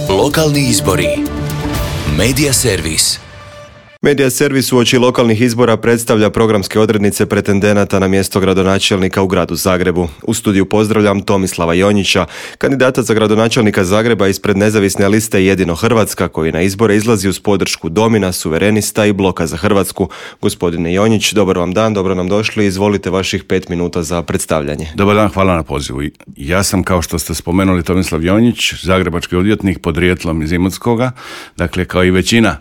Lokalni izbori. Medija servis. Medija servis uoči lokalnih izbora predstavlja programske odrednice pretendenata na mjesto gradonačelnika u gradu Zagrebu. U studiju pozdravljam Tomislava Jonjića, kandidata za gradonačelnika Zagreba ispred nezavisne liste Jedino Hrvatska, koji na izbore izlazi uz podršku Domina, Suverenista i Bloka za Hrvatsku. Gospodine Jonjić, dobar vam dan, dobro nam došli. Izvolite vaših 5 minuta za predstavljanje. Dobar dan, hvala na pozivu. Ja sam, kao što ste spomenuli, Tomislav Jonjić, zagrebački odvjetnik, podrijetlom iz Imotskoga. Dakle, kao i većina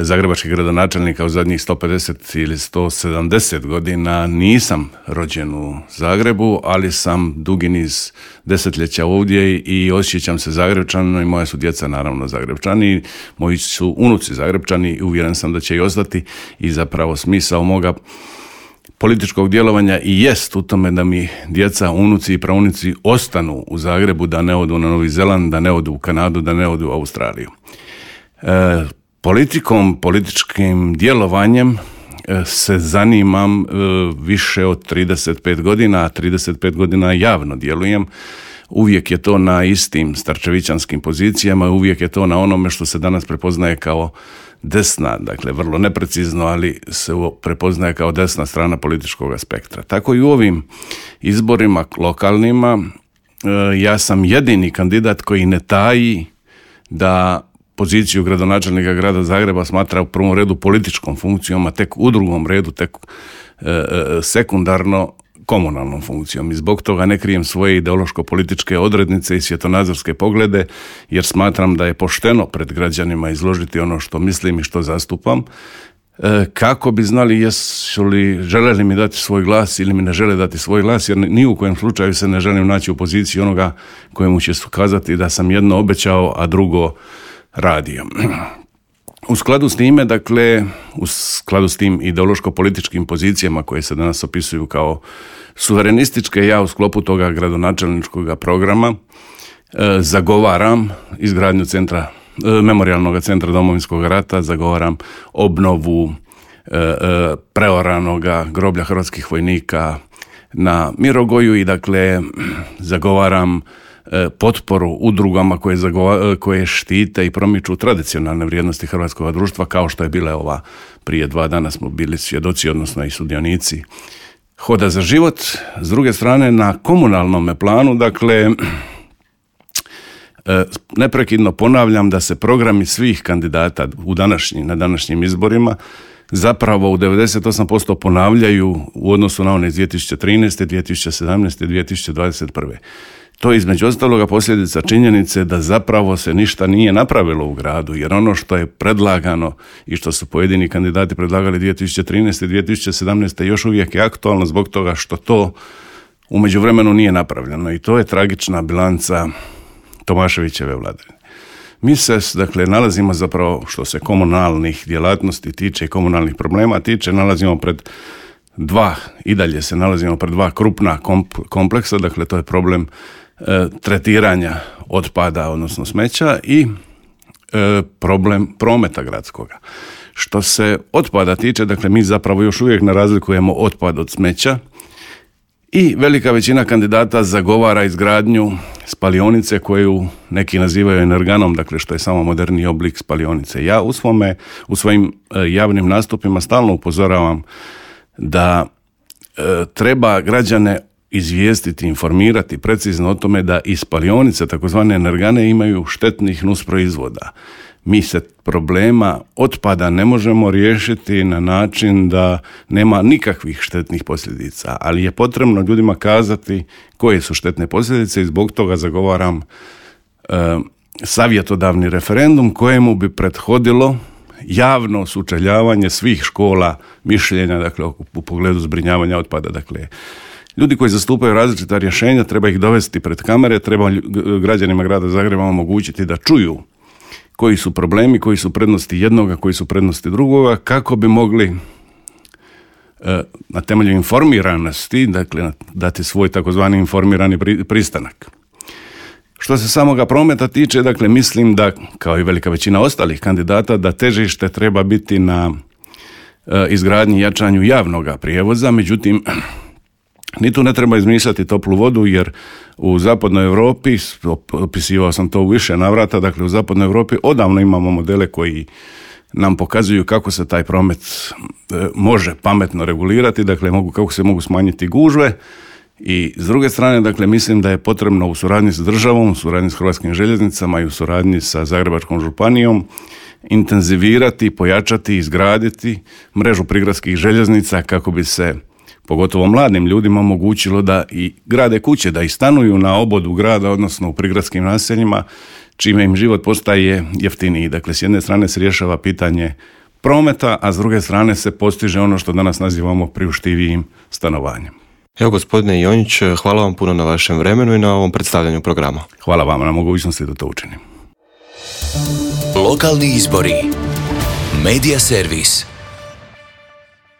zagrebačkih gradonačelnika u zadnjih 150 ili 170 godina nisam rođen u Zagrebu, ali sam dugi niz desetljeća ovdje i osjećam se Zagrebčanom i moja su djeca naravno Zagrebčani, moji su unuci Zagrebčani i uvjeren sam da će i ostati i zapravo smisao moga političkog djelovanja i jest u tome da mi djeca, unuci i praunici ostanu u Zagrebu, da ne odu na Novi Zeland, da ne odu u Kanadu, da ne odu u Australiju. Političkim djelovanjem se zanimam više od 35 godina, a 35 godina javno djelujem. Uvijek je to na istim starčevićanskim pozicijama, uvijek je to na onome što se danas prepoznaje kao desna, dakle vrlo neprecizno, ali se prepoznaje kao desna strana političkog spektra. Tako i u ovim izborima lokalnima ja sam jedini kandidat koji ne taji da poziciju gradonačelnika grada Zagreba smatra u prvom redu političkom funkcijom, a tek u drugom redu, tek sekundarno komunalnom funkcijom. I zbog toga ne krijem svoje ideološko-političke odrednice i svjetonazorske poglede, jer smatram da je pošteno pred građanima izložiti ono što mislim i što zastupam, kako bi znali žele li mi dati svoj glas ili mi ne žele dati svoj glas, jer ni u kojem slučaju se ne želim naći u poziciji onoga kojemu će kazati da sam jedno obećao, a drugo radio. U skladu s time, dakle, u skladu s tim ideološko-političkim pozicijama koje se danas opisuju kao suverenističke, ja u sklopu toga gradonačelničkog programa zagovaram izgradnju memorijalnog centra Domovinskog rata, zagovaram obnovu preoranoga groblja hrvatskih vojnika na Mirogoju i dakle zagovaram potporu udrugama koje štite i promiču tradicionalne vrijednosti hrvatskog društva, kao što je bila ova prije 2 dana smo bili svjedoci, odnosno i sudionici Hoda za život. S druge strane, na komunalnom planu, dakle, neprekidno ponavljam da se programi svih kandidata na današnjim izborima zapravo u 98% ponavljaju u odnosu na one iz 2013., 2017., 2021. To je između ostaloga posljedica činjenice da zapravo se ništa nije napravilo u gradu, jer ono što je predlagano i što su pojedini kandidati predlagali 2013. i 2017. još uvijek je aktualno zbog toga što to u međuvremenu nije napravljeno i to je tragična bilanca Tomaševićeve vladavine. Mi se, dakle, nalazimo zapravo, što se komunalnih djelatnosti tiče i komunalnih problema tiče, i dalje se nalazimo pred 2 krupna kompleksa, dakle to je problem tretiranja otpada, odnosno smeća i problem prometa gradskoga. Što se otpada tiče, dakle mi zapravo još uvijek ne razlikujemo otpad od smeća i velika većina kandidata zagovara izgradnju spalionice koju neki nazivaju energanom, dakle što je samo moderniji oblik spalionice. Ja u svojim javnim nastupima stalno upozoravam da treba građane izvijestiti, informirati precizno o tome da i spalionice, takozvane energane, imaju štetnih nusproizvoda. Mi se problema otpada ne možemo riješiti na način da nema nikakvih štetnih posljedica, ali je potrebno ljudima kazati koje su štetne posljedice i zbog toga zagovaram savjetodavni referendum kojemu bi prethodilo javno sučeljavanje svih škola mišljenja, dakle, u pogledu zbrinjavanja otpada. Dakle, ljudi koji zastupaju različita rješenja, treba ih dovesti pred kamere, treba građanima grada Zagreba omogućiti da čuju koji su problemi, koji su prednosti jednoga, koji su prednosti drugoga, kako bi mogli na temelju informiranosti, dakle, dati svoj takozvani informirani pristanak. Što se samoga prometa tiče, dakle, mislim da, kao i velika većina ostalih kandidata, da težište treba biti na izgradnji i jačanju javnog prijevoza, međutim, Ni tu ne treba izmišljati toplu vodu, jer u zapadnoj Europi, opisivao sam to u više navrata, dakle u zapadnoj Europi odavno imamo modele koji nam pokazuju kako se taj promet može pametno regulirati, dakle kako se mogu smanjiti gužve. I s druge strane, dakle, mislim da je potrebno u suradnji s državom, u suradnji s Hrvatskim željeznicama i u suradnji sa Zagrebačkom županijom intenzivirati, pojačati, izgraditi mrežu prigradskih željeznica kako bi se pogotovo mladim ljudima omogućilo da i grade kuće, da i stanuju na obodu grada, odnosno u prigradskim naseljima, čime im život postaje jeftiniji. Dakle, s jedne strane se rješava pitanje prometa, a s druge strane se postiže ono što danas nazivamo priuštivijim stanovanjem. Evo, gospodine Jonjić, hvala vam puno na vašem vremenu i na ovom predstavljanju programa. Hvala vam na mogućnosti da to učinim. Lokalni izbori. Medija servis.